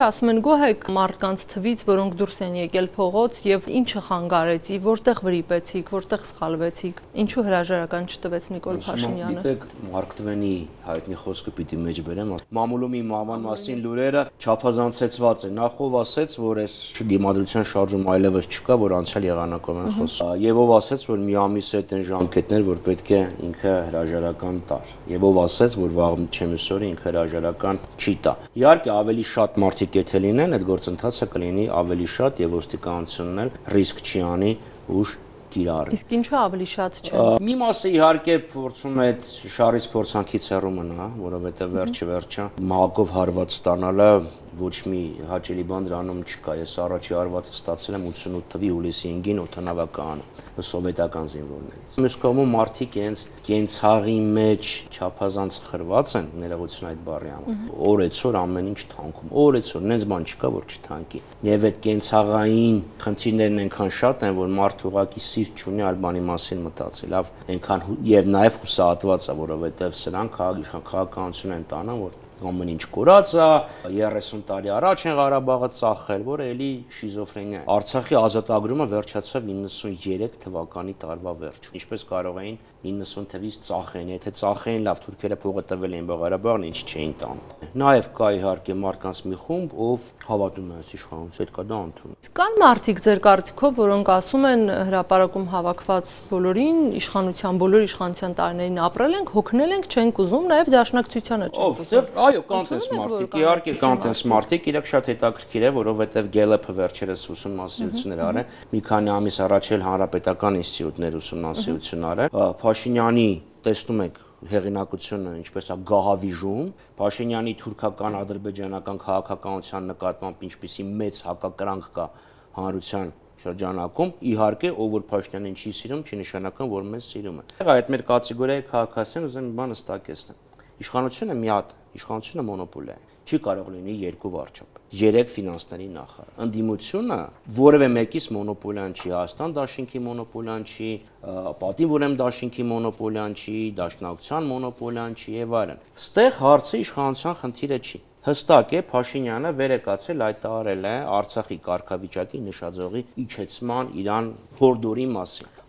Ասում են գոհ մարդկանց թվից, որոնք դուրս են եկել փողոց եւ ինչը խանգարեցի, որտեղ վրիպեցիք, որտեղ սխալվեցիք, ինչու հրաժարական չտվեց Նիկոլ Փաշինյանը։ Գիտեք, Մարկ Տվենի հայտնի խոսքը պիտի մեջ բերեմ, մամուլումի մահվան մասին լուրերը չափազանցեցված են։ Նախ ով ասեց, որ այս դիմադրության շարժում այլևս չկա, որ անցյալ եղանակով են խոսում։ Եվ ով ասեց, որ մի ամիս հետ են ժամկետներ, որ պետք է ինքը հրաժարական տար։ Եվ ով ասեց, որ վաղ չեմիսօրը ինքը հրաժարական չի տա։ Իհարկե ավելի շատ մարդիկ եթե լինեն, այդ գործընթացը կլինի ավելի շատ եւ ոստիկանությունն էլ ռիսկ չի անի ուժ կիրառի։ Իսկ ինչու ավելի շատ չէ։ Մի մասը իհարկե փորձում է այդ շարից փորձանքից հեռու մնա, որովհետեւ վերջը մահակով հարված ստանալը ոչ մի հաճելի բան դրանում չկա։ Ես առաջի հարվածը ստացել եմ 88 թվականի հուլիսի 5-ին օդանավակայանում սովետական զինվորներից։ Մյուս կողմում մարդիկ իրենց կենցաղի մեջ չափազանց խրված են, ներողություն այդ բառի համար։ Օրեցօր ամեն ինչ թանքում։ Օրեցօր նենց բան չկա, որ չթանկի։ Եվ այդ կենցաղային խնդիրներն այնքան շատ են, որ մարդ ուղղակի սիրտ չունի այլ բանի մասին մտածի։ Լավ, այնքան եւ նաեւ հուսահատված է, որովհետեւ սրանք քաղաքականություն են տանում, որ ամեն ինչ կորած է, 30 տարի առաջ են Ղարաբաղը ծախել, որը էլի շիզոֆրենիա է։ Արցախի ազատագրումը վերջացավ 93 թվականի տարվա վերջում։ Ինչպես կարող էին 90 թվականից ծախեն, եթե ծախեին, լավ, թուրքերը փողը տվել էին, բայց Ղարաբաղն ինչ չէին տանում։ Նաև կա իհարկե մարդկանց մի խումբ, ով հավատում է այս իշխանությանը, այդ կա դա ընդունում։ Կան մարդիկ ձեր կարծիքով, որոնք ասում են հրապարակում հավաքված բոլորին, իշխանության բոլոր իշխանության տարիներին ապրել ենք, հոգնել ենք, չենք ուզում, նաև դաշնակցությանը չենք ուզում։ Այո, կան տես մարդիկ, իհարկե կան տես մարդիկ, իրենք շատ հետաքրքիր է, որովհետև Գելեփը վերջերս ուսումնասիրություններ արել, մի քանի ամիս առաջ էլ հանրապետական ինստիտուտներ ուսումնասիրություն արել, Փաշինյանի տեսնում եք հեղինակությունը ինչպես է գահավիժում, Փաշինյանի թուրքական ադրբեջանական քաղաքականության նկատմամբ ինչպիսի մեծ հակակրանք կա հանրության շրջանակում, իհարկե ով որ Փաշինյանին չի սիրում, չի նշանակում, որ մեզ սիրում է։ Այդ մեր կատեգորիայի քաղաքացիներն ուզում են մի բան հստակեցնել։ Իշխանությունը մի հատ, իշխանությունը մոնոպոլիա է։ Չի կարող լինի երկու վարչապետ, 3 ֆինանսների նախարար։ Ընդդիմությունը որևէ մեկից մոնոպոլիան չի, Հայաստան դաշինքի մոնոպոլիան չի, Պատիվ ուրեմ դաշինքի մոնոպոլիան չի, Դաշնակցության մոնոպոլիան չի եւ այլն։ Ստեղ հարցը իշխանության խնդիրը չի։ Հստակ է Փաշինյանը վերեկացել հայտարարել է Արցախի կարգավիճակի նշաձողի իջեցման իրան հորդորի մասին։